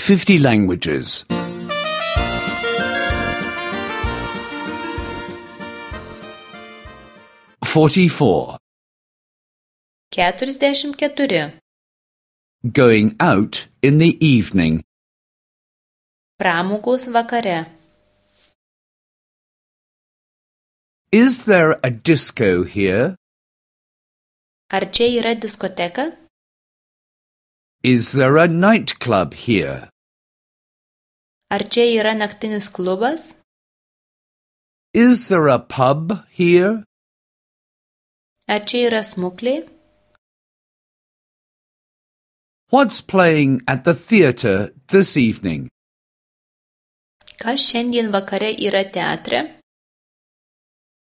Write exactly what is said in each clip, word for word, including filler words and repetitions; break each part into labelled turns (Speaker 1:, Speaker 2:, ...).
Speaker 1: fifty languages. forty-four.
Speaker 2: Keturiasdešimt keturi.
Speaker 1: Going out in the evening.
Speaker 2: Pramogos vakare.
Speaker 1: Is there a disco here?
Speaker 2: Ar čia yra diskoteka?
Speaker 1: Is there a nightclub here?
Speaker 2: Ar čia yra naktinis klubas?
Speaker 1: Is there a pub here?
Speaker 2: Ar čia yra smuklė?
Speaker 1: What's playing at the theatre this evening?
Speaker 2: Kas šiandien vakare yra teatre?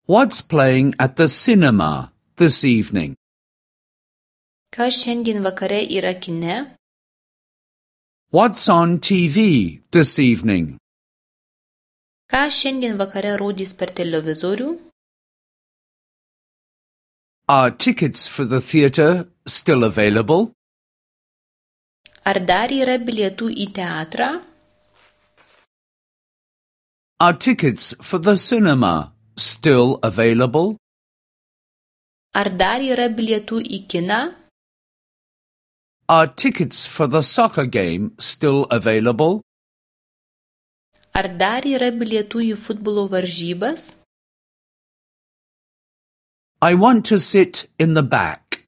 Speaker 1: What's playing at the cinema this evening?
Speaker 2: Kas šiandien vakare yra kine?
Speaker 1: What's on T V this evening?
Speaker 2: Ką šiandien vakare rodys per televizorių?
Speaker 1: Are tickets for the theatre still available?
Speaker 2: Ar dar yra bilietų į teatrą?
Speaker 1: Are tickets for the cinema still available?
Speaker 2: Ar dar yra bilietų į kiną?
Speaker 1: Are tickets for the soccer game still available?
Speaker 2: Ar dar yra bilietų į futbolo varžybas?
Speaker 1: I want to sit in the back.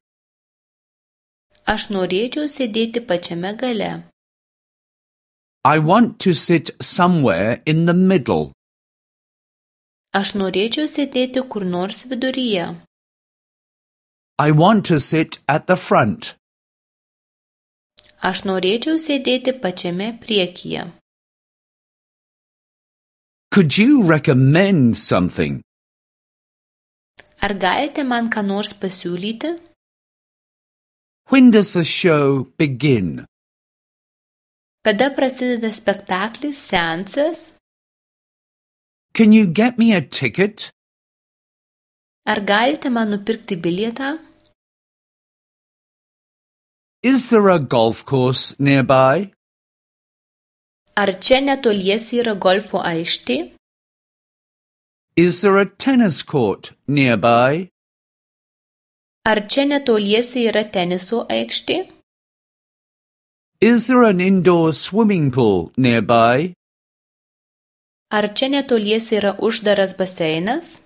Speaker 2: Aš norėčiau sėdėti pačiame gale.
Speaker 1: I want to sit somewhere in the middle.
Speaker 2: Aš norėčiau sėdėti kur nors viduryje.
Speaker 1: I want to sit at the front.
Speaker 2: Aš norėčiau sėdėti pačiame priekyje.
Speaker 1: Could you recommend something?
Speaker 2: Ar galite man ką nors pasiūlyti?
Speaker 1: When does the show begin?
Speaker 2: Kada prasideda spektaklis, seansas?
Speaker 1: Can you get me a ticket?
Speaker 2: Ar galite man nupirkti bilietą?
Speaker 1: Is there a golf course nearby?
Speaker 2: Ar čia netoliese yra golfo aikštė?
Speaker 1: Is there a tennis court nearby?
Speaker 2: Ar čia netoliese yra teniso aikštė?
Speaker 1: Is there an indoor swimming pool nearby?
Speaker 2: Ar čia netoliese yra uždaras baseinas?